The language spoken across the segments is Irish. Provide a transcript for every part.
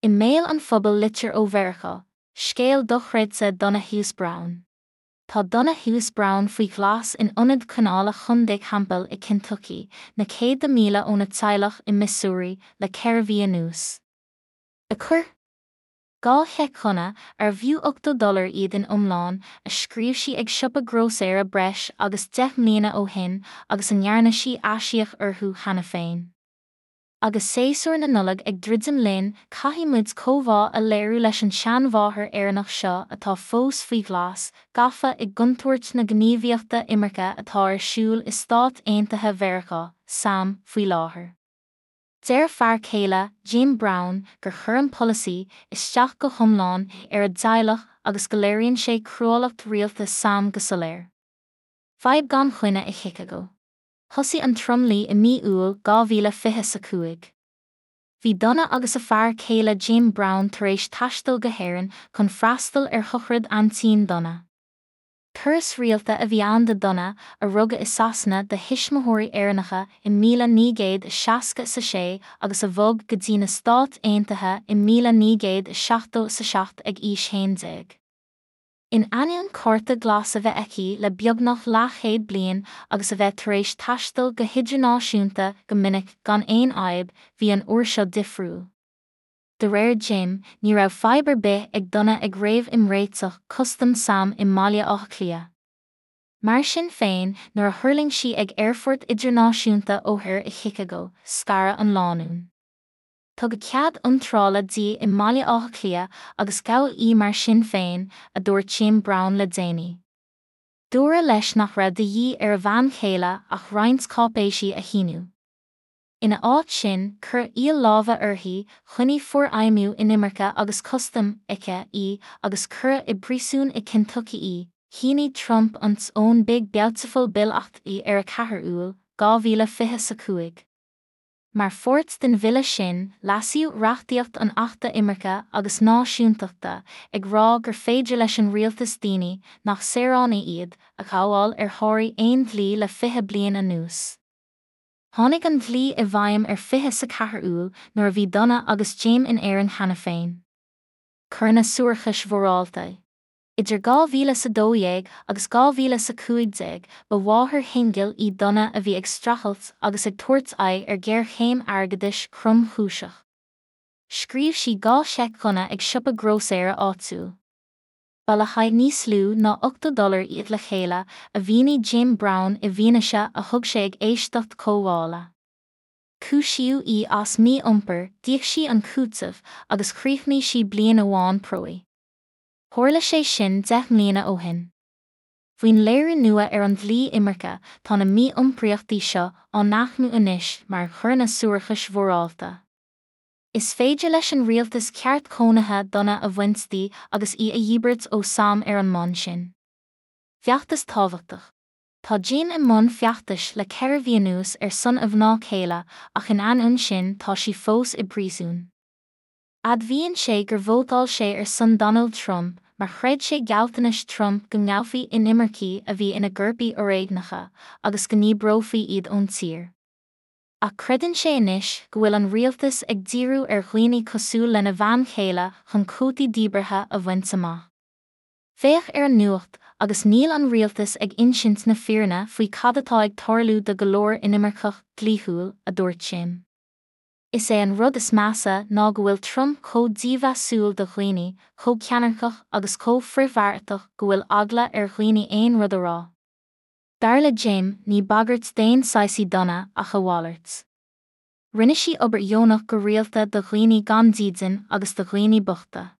I mbéal an phobail Litir ó Mheiriceá, scéal dochreidte Donna Hughes Brown. Tá Donna Hughes Brown faoi ghlas in ionad coinneála Chontae Campbell i Kentucky, na céadta míle óna teaghlach i Missouri, le 4 mhí anuas. A chuir 2 sheic Dhonna, arbh fhiú 80 dollar iad in iomlán, a scríobh sí ag siopa grósaera breis agus 10 mbliana ó shin agus a ndearna sí aisíoc orthu cheana féin. Agus séasúr na Nollag ag druidim linn, caithfidh muid comhbhá a léiriú leis an tseanmháthair Éireannach seo atá fós faoi ghlas, gafa i gcontúirt na gníomhaíochta imirce atá ar siúl i Stáit Aontaithe Mheiriceá, sam, faoi láthair. Deir a fear céile, Jim Brown, gur chuir an polasaí isteach go hiomlán ar a dteaghlach agus go léiríonn sé cruálacht rialtas sam go soiléir. Fadhb gan choinne i Chicago. Thosaigh an tromluí i mí Iúil 2025. Bhí Donna agus a fear céile Jim Brown tar éis taisteal go hÉirinn chun freastal ar shochraid aintín Donna. Turas rialta a bhí ann do Donna, a rugadh i Sasana do thuismitheoirí Éireannacha i 1966 agus a bhog go dtí na Stáit Aontaithe i 1977 ag aois 11. In ainneoin cárta glas a bheith aici le beagnach leathchéad bliain agus a bheith tar éis taisteal go hidirnáisiúnta go minic gan aon fhadhb, bhí an uair seo difriúil. De réir Jim, ní raibh fadhb ar bith ag Donna ag réamh-imréiteach custaim sam i mBaile Átha Cliath. Mar sin féin, nuair a thuirling sí ag Aerfort Idirnáisiúnta O'Hare i Chicago, scaradh an lánúin. Tugadh cead iontrála di i mBaile Átha Cliath agus gabhadh í mar sin féin, a dúirt Jim Brown le déanaí. Dúradh leis nach raibh de dhíth ar a bhean chéile ach roinnt cáipéisí a shíniú. Ina áit sin, cuireadh iall láimhe uirthi, choinnigh Forfheidhmiú Inimirce agus Custaim, ice, í agus cuireadh i bpríosún i Kentucky í. Shínigh Trump an t-ón Big Beautiful Bill Act í ar 4 Iúil, 2025. Mar pháirt den bhille sin, leasaíodh reachtaíocht an Achta Imirce agus Náisiúntachta, ag rá gur féidir leis an rialtas daoine, nach saoránaigh iad, a ghabháil ar sháraigh aon dlí le 20 bliain anuas. Tháinig an dlí i bhfeidhm ar 24 Iúil, nuair a bhí Donna agus Jim in Éirinn cheana féin. Coireanna suarachais mhorálta. Idir 2012 agus 2015, ba mháthair shingil í Donna a bhí ag streachailt agus ag tabhairt aghaidh ar ghéarchéim airgeadais thromchúiseach. Scríobh sí 2 sheic Dhonna ag siopa grósaera áitiúil. Ba le haghaidh níos lú ná 80 dollar iad le chéile, a mhínigh Jim Brown i bhfianaise a thug sé ag éisteacht comhdhála. Cúisíodh í as mí-iompar, d'íoc sí an cúiteamh agus chríochnaigh sí bliain amháin promhaidh. Tharla sé sin 10 mbliana ó shin. Faoin léiriú nua ar an dlí imirce, tá na mí-iompraíochtaí seo á n-aicmiú anois mar choireanna suarachais mhorálta. Is féidir leis an rialtas ceart cónaithe Donna a bhaint di agus í a dhíbirt ó sam ar an mbonn sin. Feachtas tábhachtach. Tá Jim i mbun feachtais le 4 mhí anuas ar son a mhná céile ach in ainneoin sin tá sí fós i bpríosún. Admhaíonn sé gur vótáil sé ar son Donald Trump mar chreid sé gealltanais Trump go ngabhfaí inimircigh a bhí ina gcoirpigh fhoréigneacha agus go ndíbreofaí iad ón tír. Ach creideann sé anois go bhfuil an rialtas ag díriú ar dhaoine cosúil lena bhean chéile chun cuótaí díbeartha a bhaint amach. Féach ar an nuacht agus níl an rialtas ag insint na fírinne faoi cad atá ag tarlú do go leor inimirceach dlíthiúil, a dúirt Jim. Is é an rud is measa ná go bhfuil Trump chomh dímheasúil do dhaoine, chomh ceannairceach agus chomh frithbheartach go bhfuil eagla ar dhaoine aon rud a rá. Dar le Jim, ní bagairt d'aon saghas í Donna ach a mhalairt. Rinne sí obair dheonach go rialta do dhaoine gan dídean agus do dhaoine bochta.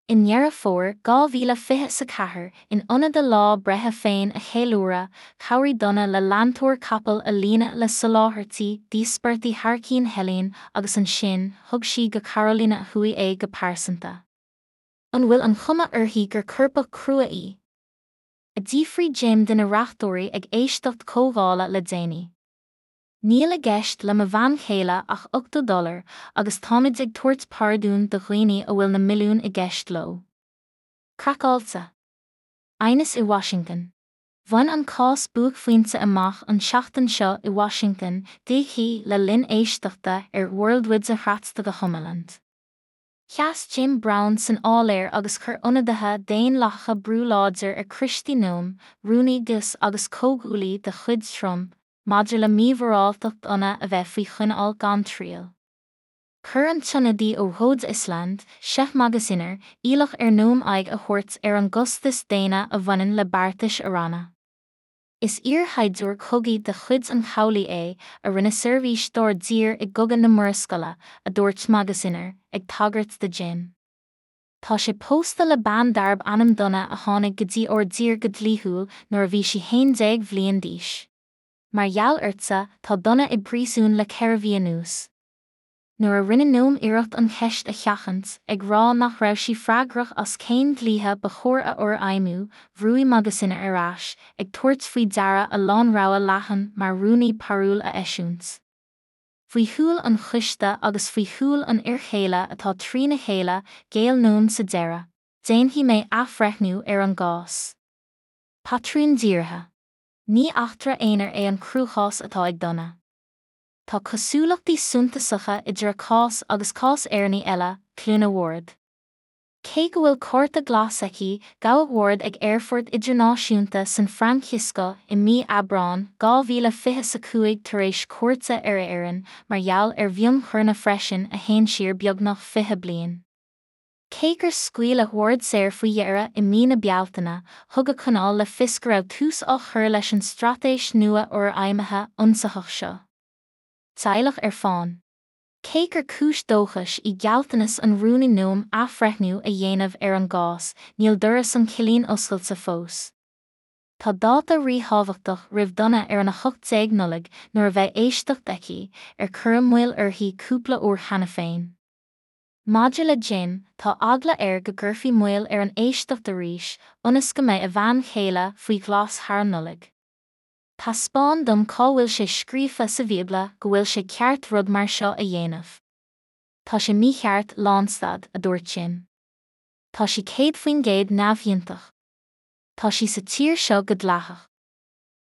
I nDeireadh Fómhair 2024, in ionad a lá breithe féin a cheiliúradh, chabhraigh Donna le leantóir capall a líonadh le soláthairtí d'íospartaigh Hairicín Helene agus ansin thug sí go Carolina Thuaidh é go pearsanta. An bhfuil an chuma uirthi gur coirpeach crua í? a d'fhiafraigh Jim de na reachtóirí ag éisteacht comhdhála le déanaí. Níl i gceist le mo bhean chéile ach 80 dollar agus táimid ag tabhairt pardún do dhaoine a bhfuil na milliúin i gceist leo. Craiceáilte. Aighneas i Washington. Bhain an cás buaicphointe amach an tseachtain seo i Washington DC le linn éisteachta ar Worldwide Hratstaga Homeland. Sheas Jim Browne san áiléar agus chuir ionadaithe Daonlathacha brú láidir ar Kristi Noem, rúnaí DHS agus comhghuaillí de chuid Trump, maidir le mímhoráltacht Donna a bheith faoi choinneáil gan triail. Chuir an t-ionadaí ó Rhode Island, Seth Magaziner, iallach ar Noem aghaidh a thabhairt ar an gcostas daonna a bhaineann le beartais a ranna. Is iarshaighdiúir cogaidh de chuid an Chabhlaigh é, a rinne seirbhís dár dtír i gCogadh na Murascaille, a dúirt Magaziner, ag tagairt do Jim. Tá sé pósta le bean darb ainm Donna a tháinig go dtí ár dtír go dlíthiúil nuair a bhí sí 11 bhliain d'aois. Mar gheall ortsa, tá Donna i bpríosún le 4 mhí anuas. Nuair a rinne Noem iarracht an cheist a sheachaint, ag rá nach raibh sí freagrach as cén dlíthe ba chóir a fhorfheidhmiú, bhrúigh Magaziner ar ais, ag tabhairt faoi deara a lánrogha leathan mar rúnaí parúil a eisiúint. Faoi shúil an choiste agus faoi shúil an fhir chéile atá trína chéile, ghéill Noem sa deireadh. Déanfaidh mé athbhreithniú ar an gcás. Patrún dírithe. Ní eachtra aonair é an cruachás atá ag Donna. Tá cosúlachtaí suntasacha idir a cás agus cás Éireannaí eile, Cliona Ward. Cé go bhfuil cárta glas aici, gabhadh Ward ag Aerfort Idirnáisiúnta San Francisco i mí Aibreáin 2025 tar éis cuairte ar Éirinn mar gheall ar mhionchoireanna freisin a théann siar beagnach 20 bliain. Cé gur scaoileadh Ward saor faoi dheireadh i mí na Bealtaine, thug a coinneáil le fios go raibh tús á chur leis an straitéis nua fhorfheidhmithe ionsaitheach seo. Teaghlach ar fán. Cé gur cúis dóchais í gealltanas an Rúnaí Noem athbhreithniú a dhéanamh ar an gcás, níl doras an chillín oscailte fós. Tá dáta ríthábhachtach roimh Donna ar an 18 Nollaig nuair a bheidh éisteacht aici, ar cuireadh moill uirthi cúpla uair cheana féin. Maidir le Jim, tá eagla air go gcuirfí moill ar an éisteacht arís, ionas go mbeidh a bhean chéile faoi ghlas thar an Nollaig. Taispeáin dom cá bhfuil sé scríofa sa Bhíobla go bhfuil sé ceart rud mar seo a dhéanamh. Tá sé mícheart, lánstad, a dúirt Jim. Tá sí 100% neamhchiontach. Tá sí sa tír seo go dleathach.